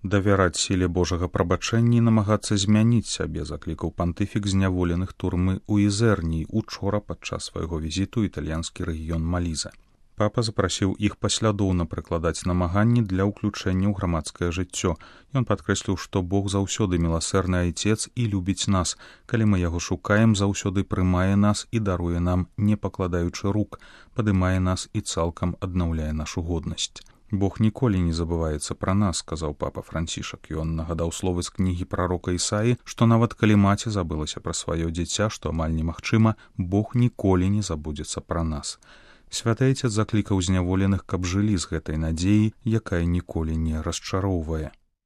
Давяраць сіле Божага прабачэння і намагацца змяніць сябе, заклікаў пантыфік зняволеных турмы ў Ізерніі учора падчас свайго візіту ў італьянскі рэгіён Маліза. Папа запрасіў іх паслядоўна прыкладаць намаганні для ўключэння ў грамадскае жыццё. Ён падкрэсліў, што Бог заўсёды міласэрны айцец і любіць нас. Калі мы яго шукаем, заўсёды прымае нас і даруе нам, не пакладаючы рук, падымае нас і цалкам аднаўляе нашу годнасць. Бог ніколі не забываецца пра нас, сказаў папа Францішак. Ён нагадаў словы з кнігі прарока Ісаі, што нават калі маці забылася пра сваё дзіця, што амаль немагчыма, Бог ніколі не забудзецца пра нас. Святы айцец заклікаў зняволеных, каб жылі з гэтай надзеяй, якая ніколі не расчароўвае.